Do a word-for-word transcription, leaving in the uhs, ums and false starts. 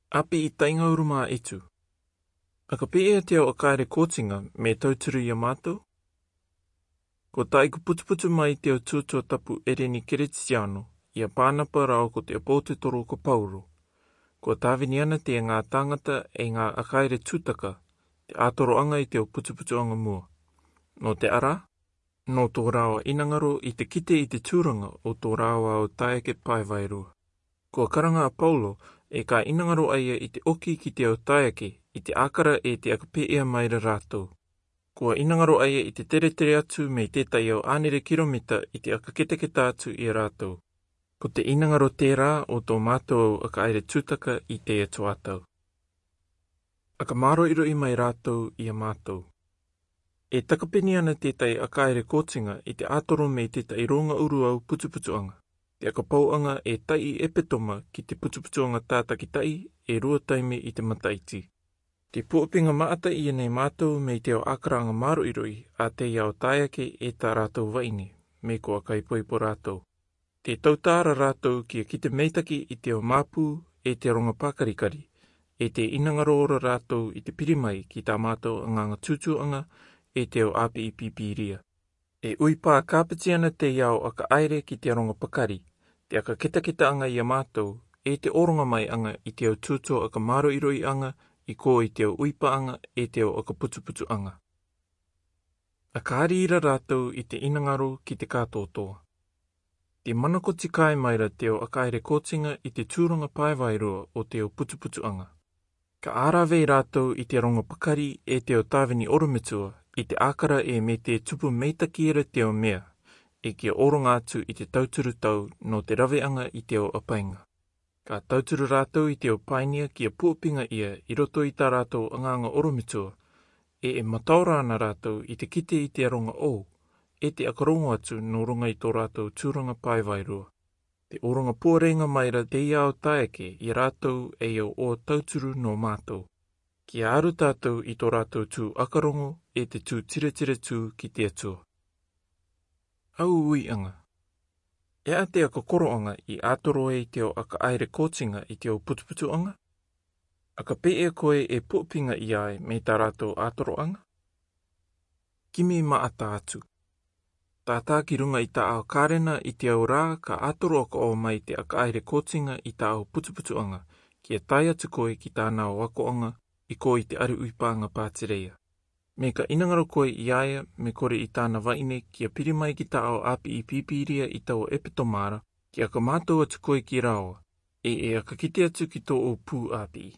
Api i tainga uruma itu. Aka pē ia te au aka aere kōtinga me tauturu ia mātou? Ko taʻi ko putuputu mai te au tuatua tapu Ereni Keretitiano, ia Pānapa rāua ko te ʻapotetoro ko Paulo. Kua tāvini ana te ngā tāngata e ngā aka aere tūtaka, te ātoroʻanga i te au putuputuʻanga mua. Nō te ara, nō tō rāua inangaro i te kite i te tūranga o tō rāua au taeake pae vairua. Kua karanga a Paulo, e ka inangaro a ia i te oki ki te au taeake, i te ākara e te aka pē ia mai ra rātou. Kua inangaro a ia i te teretere atu me tētahi au ānere kiromita i te aka ketaketa atu ia rātou. Ko te inangaro tērā o tō mātou au aka aere tūtaka i te atu ātau. Aka māroʻiroʻi mai rātou ia mātou. E takapeni ana tētahi aka aere kōtinga i te ātoro me tētahi rōnga uru au putuputuʻanga. Te aka pauʻanga e taiʻi epetoma ki te putuputuʻanga tātakitaʻi e rua taime i te mataʻiti. Te puapinga maʻata ia nei mātou me te au ākaraʻanga māroʻiroʻi a te au taeake e tā rātou vaʻine, me ko aka ipoipo rātou. Te tautara rātou kia kite meitaki i te au māpū e te ronga pākarikari, e te inangaro ra rātou i te piri mai ki tā mātou anganga tūtūʻanga e te au ʻāpiʻi pīpīria. E ui pā kāpeti ana te au aka aere ki te ronga pakari, te aka ketaketaʻanga ia mātou, e te ʻoronga mai anga i te au tūtū aka māroʻiroʻiʻanga i kō i te au uipaʻanga e te au aka putuputuʻanga. Aka ari ra rātou i te inangaro ki te kātōtōa. Te manakoti kai mai ra te au aka aere kōtinga i te tūranga pae vairua o te au putuputuʻanga. Ka ara vei rātou i te ronga pakari e te au tāvini orometua i te ākara e me te tupu meitaki ra te au mea, e kia ʻoronga atu i te tauturu tau nō te raveʻanga i te au ʻapainga. Ka tauturu rātou i te au painia kia puapinga ia i roto i tā rātou anganga orometua, e e mataora ana rātou i te kite i te ronga ʻō, e te aka rongo atu nō runga i tō rātou tūranga pae vairua. Te ʻoronga puarenga mai ra te au taeake ia rātou e au ʻō tauturu nō mātou. Kia aru tātou i tō rātou tū aka rongo e te tū tiretire tū ki te Atua. Au uiʻanga. E a te aka koroʻanga i ātoro ai te au aka aere kōtinga i te au putuputuʻanga? Aka pē ia koe e puapinga ia ai me tā rātou ātoroʻanga? Kimi maʻata atu. Tātā ki runga i tā au karena i te au rā ka ātoro aka ʻō mai te aka aere kōtinga i tā au putuputuʻanga, kia tae atu koe ki tāna au akoʻanga i kō i te ari uipaʻanga pātireia. Me ka inangaro koe ia ia me kore i tāna vaʻine kia piri mai ki tā au ʻāpiʻi pīpīria i tau epetoma ra, kia aka mātou atu koe ki rāua, e e aka kite atu ki tō au pū ʻāpiʻi.